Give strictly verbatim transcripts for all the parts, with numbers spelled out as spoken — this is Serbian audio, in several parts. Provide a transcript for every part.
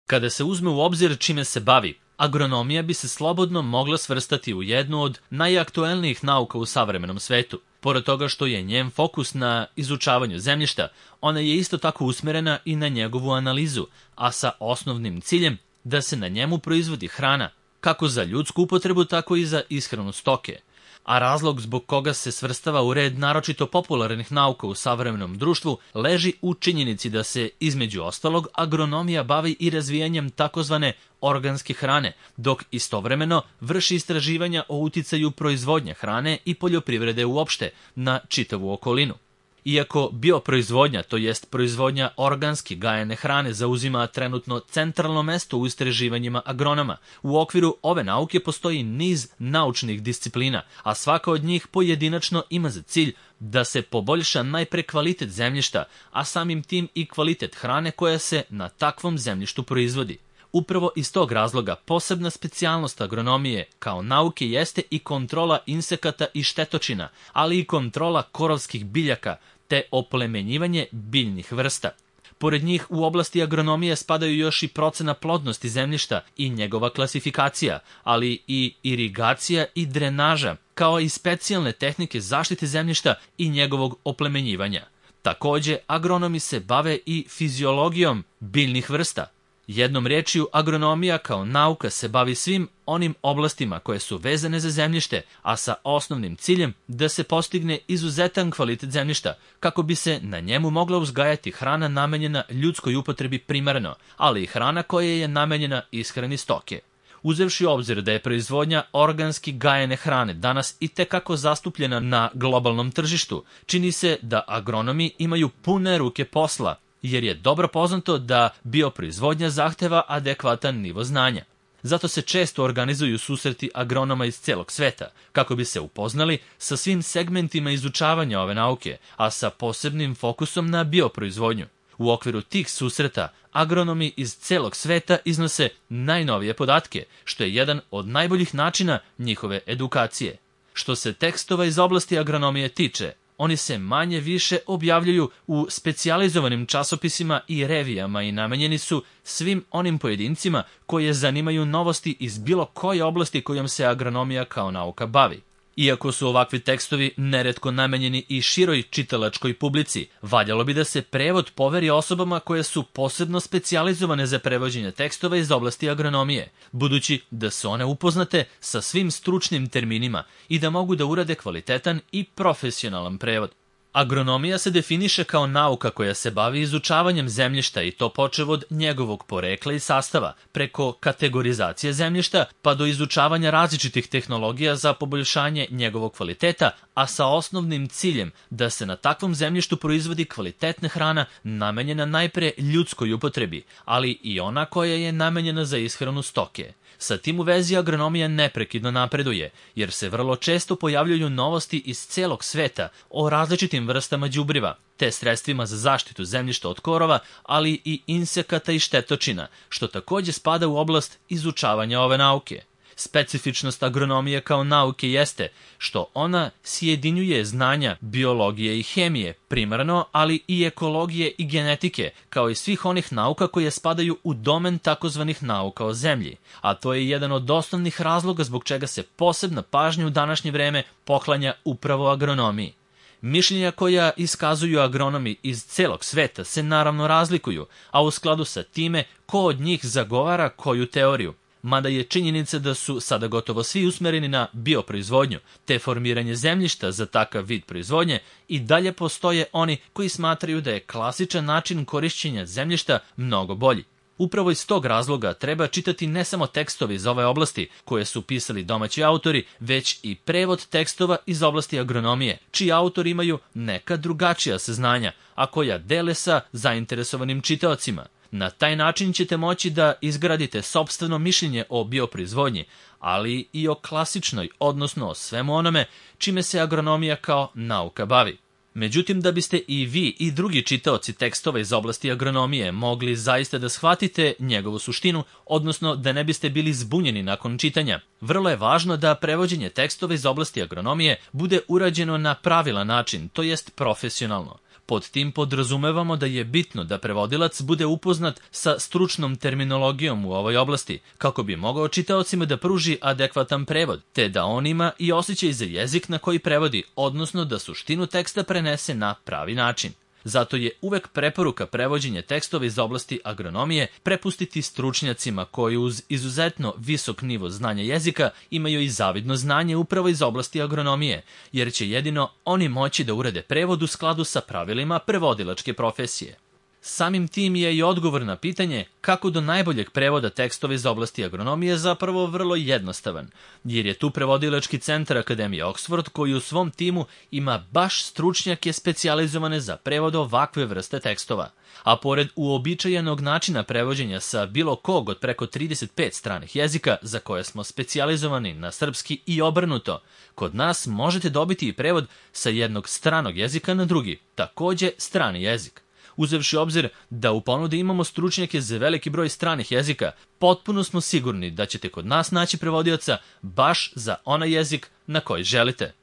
Kada se uzme u obzir čime se bavi, agronomija bi se slobodno mogla svrstati u jednu od najaktuelnijih nauka u savremenom svetu. Pored toga što je njen fokus na izučavanju zemljišta, ona je isto tako usmerena i na njegovu analizu, a sa osnovnim ciljem da se na njemu proizvodi hrana, kako za ljudsku upotrebu, tako i za ishranu stoke. A razlog zbog koga se svrstava u red naročito popularnih nauka u savremenom društvu leži u činjenici da se, između ostalog, agronomija bavi i razvijanjem takozvane organske hrane, dok istovremeno vrši istraživanja o uticaju proizvodnje hrane i poljoprivrede uopšte na čitavu okolinu. Iako bioproizvodnja, to jest proizvodnja organski gajene hrane, zauzima trenutno centralno mesto u istraživanjima agronoma, u okviru ove nauke postoji niz naučnih disciplina, a svaka od njih pojedinačno ima za cilj da se poboljša najpre kvalitet zemljišta, a samim tim i kvalitet hrane koja se na takvom zemljištu proizvodi. Upravo iz tog razloga posebna specijalnost agronomije kao nauke jeste i kontrola insekata i štetočina, ali i kontrola korovskih biljaka te oplemenjivanje biljnih vrsta. Pored njih u oblasti agronomije spadaju još i procena plodnosti zemljišta i njegova klasifikacija, ali i irigacija i drenaža, kao i specijalne tehnike zaštite zemljišta i njegovog oplemenjivanja. Takođe, agronomi se bave i fiziologijom biljnih vrsta. Jednom rečju, agronomija kao nauka se bavi svim onim oblastima koje su vezane za zemljište, a sa osnovnim ciljem da se postigne izuzetan kvalitet zemljišta, kako bi se na njemu mogla uzgajati hrana namenjena ljudskoj upotrebi primarno, ali i hrana koja je namenjena ishrani stoke. Uzevši u obzir da je proizvodnja organski gajene hrane danas i tekako zastupljena na globalnom tržištu, čini se da agronomi imaju pune ruke posla, jer je dobro poznato da bioproizvodnja zahteva adekvatan nivo znanja. Zato se često organizuju susreti agronoma iz celog sveta, kako bi se upoznali sa svim segmentima izučavanja ove nauke, a sa posebnim fokusom na bioproizvodnju. U okviru tih susreta, agronomi iz celog sveta iznose najnovije podatke, što je jedan od najboljih načina njihove edukacije. Što se tekstova iz oblasti agronomije tiče, oni se manje više objavljuju u specijalizovanim časopisima i revijama i namenjeni su svim onim pojedincima koje zanimaju novosti iz bilo koje oblasti kojom se agronomija kao nauka bavi. Iako su ovakvi tekstovi neretko namenjeni i široj čitalačkoj publici, valjalo bi da se prevod poveri osobama koje su posebno specijalizovane za prevođenje tekstova iz oblasti agronomije, budući da su one upoznate sa svim stručnim terminima i da mogu da urade kvalitetan i profesionalan prevod. Agronomija se definiše kao nauka koja se bavi izučavanjem zemljišta i to počev od njegovog porekla i sastava, preko kategorizacije zemljišta pa do izučavanja različitih tehnologija za poboljšanje njegovog kvaliteta, a sa osnovnim ciljem da se na takvom zemljištu proizvodi kvalitetna hrana namenjena najpre ljudskoj upotrebi, ali i ona koja je namenjena za ishranu stoke. Sa tim u vezi agronomija neprekidno napreduje, jer se vrlo često pojavljuju novosti iz celog sveta o različitim vrstama đubriva, te sredstvima za zaštitu zemljišta od korova, ali i insekata i štetočina, što takođe spada u oblast izučavanja ove nauke. Specifičnost agronomije kao nauke jeste što ona sjedinjuje znanja biologije i hemije, primarno, ali i ekologije i genetike, kao i svih onih nauka koje spadaju u domen takozvanih nauka o zemlji, a to je jedan od osnovnih razloga zbog čega se posebna pažnja u današnje vreme poklanja upravo agronomiji. Mišljenja koja iskazuju agronomi iz celog sveta se naravno razlikuju, a u skladu sa time ko od njih zagovara koju teoriju. Mada je činjenica da su sada gotovo svi usmereni na bioproizvodnju, te formiranje zemljišta za takav vid proizvodnje, i dalje postoje oni koji smatraju da je klasičan način korišćenja zemljišta mnogo bolji. Upravo iz tog razloga treba čitati ne samo tekstove iz ove oblasti koje su pisali domaći autori, već i prevod tekstova iz oblasti agronomije, čiji autori imaju neka drugačija saznanja, a koja dele sa zainteresovanim čitaocima. Na taj način ćete moći da izgradite sopstveno mišljenje o bioproizvodnji, ali i o klasičnoj, odnosno o svemu onome čime se agronomija kao nauka bavi. Međutim, da biste i vi i drugi čitaoci tekstova iz oblasti agronomije mogli zaista da shvatite njegovu suštinu, odnosno da ne biste bili zbunjeni nakon čitanja, vrlo je važno da prevođenje tekstova iz oblasti agronomije bude urađeno na pravilan način, to jest profesionalno. Pod tim podrazumevamo da je bitno da prevodilac bude upoznat sa stručnom terminologijom u ovoj oblasti, kako bi mogao čitaocima da pruži adekvatan prevod, te da on ima i osjećaj za jezik na koji prevodi, odnosno da suštinu teksta prenese na pravi način. Zato je uvek preporuka prevođenja tekstova iz oblasti agronomije prepustiti stručnjacima koji uz izuzetno visok nivo znanja jezika imaju i zavidno znanje upravo iz oblasti agronomije, jer će jedino oni moći da urade prevod u skladu sa pravilima prevodilačke profesije. Samim tim je i odgovor na pitanje kako do najboljeg prevoda tekstova iz oblasti agronomije zapravo vrlo jednostavan, jer je tu prevodilački centar Akademije Oxford koji u svom timu ima baš stručnjake specijalizovane za prevod ovakve vrste tekstova. A pored uobičajenog načina prevođenja sa bilo kog od preko trideset pet stranih jezika za koje smo specijalizovani na srpski i obrnuto, kod nas možete dobiti i prevod sa jednog stranog jezika na drugi, takođe strani jezik. Uzevši obzir da u ponudi imamo stručnjake za veliki broj stranih jezika, potpuno smo sigurni da ćete kod nas naći prevodioca baš za onaj jezik na koji želite.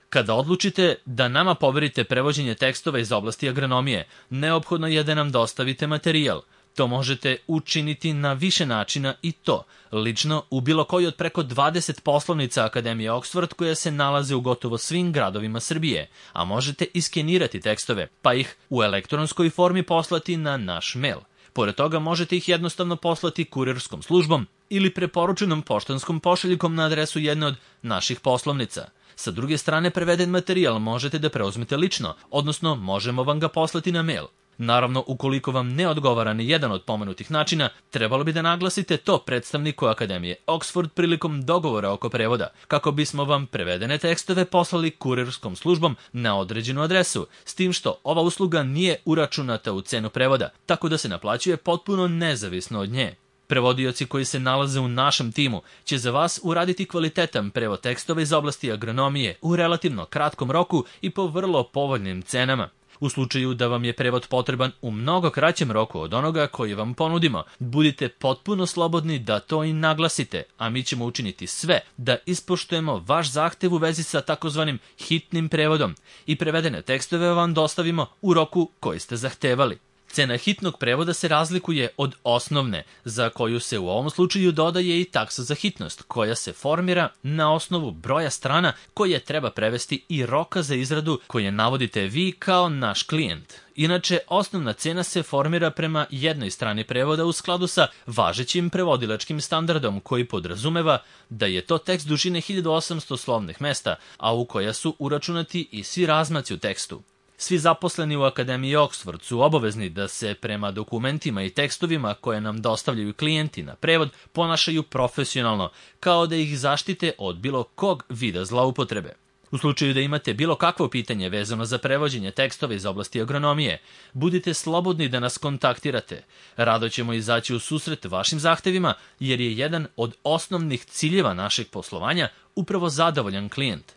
Kada odlučite da nama poverite prevođenje tekstova iz oblasti agronomije, neophodno je da nam dostavite materijal. To možete učiniti na više načina i to, lično u bilo koji od preko dvadeset poslovnica Akademije Oxford koje se nalaze u gotovo svim gradovima Srbije, a možete iskenirati tekstove, pa ih u elektronskoj formi poslati na naš mail. Pored toga možete ih jednostavno poslati kurirskom službom ili preporučenom poštanskom pošiljkom na adresu jedne od naših poslovnica. Sa druge strane, preveden materijal možete da preuzmete lično, odnosno možemo vam ga poslati na mail. Naravno, ukoliko vam ne odgovara ni jedan od pomenutih načina, trebalo bi da naglasite to predstavniku Akademije Oxford prilikom dogovora oko prevoda, kako bismo vam prevedene tekstove poslali kurirskom službom na određenu adresu, s tim što ova usluga nije uračunata u cenu prevoda, tako da se naplaćuje potpuno nezavisno od nje. Prevodioci koji se nalaze u našem timu će za vas uraditi kvalitetan prevod tekstova iz oblasti agronomije u relativno kratkom roku i po vrlo povoljnim cenama. U slučaju da vam je prevod potreban u mnogo kraćem roku od onoga koji vam ponudimo, budite potpuno slobodni da to i naglasite, a mi ćemo učiniti sve da ispoštujemo vaš zahtev u vezi sa takozvanim hitnim prevodom i prevedene tekstove vam dostavimo u roku koji ste zahtevali. Cena hitnog prevoda se razlikuje od osnovne, za koju se u ovom slučaju dodaje i taksa za hitnost, koja se formira na osnovu broja strana koje treba prevesti i roka za izradu koje navodite vi kao naš klijent. Inače, osnovna cena se formira prema jednoj strani prevoda u skladu sa važećim prevodilačkim standardom koji podrazumeva da je to tekst dužine hiljadu osamsto slovnih mesta, a u koja su uračunati i svi razmaci u tekstu. Svi zaposleni u Akademiji Oxford su obavezni da se prema dokumentima i tekstovima koje nam dostavljaju klijenti na prevod ponašaju profesionalno, kao da ih zaštite od bilo kog vida zloupotrebe. U slučaju da imate bilo kakvo pitanje vezano za prevođenje tekstova iz oblasti agronomije, budite slobodni da nas kontaktirate. Rado ćemo izaći u susret vašim zahtevima, jer je jedan od osnovnih ciljeva našeg poslovanja upravo zadovoljan klijent.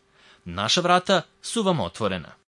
Naša vrata su vam otvorena.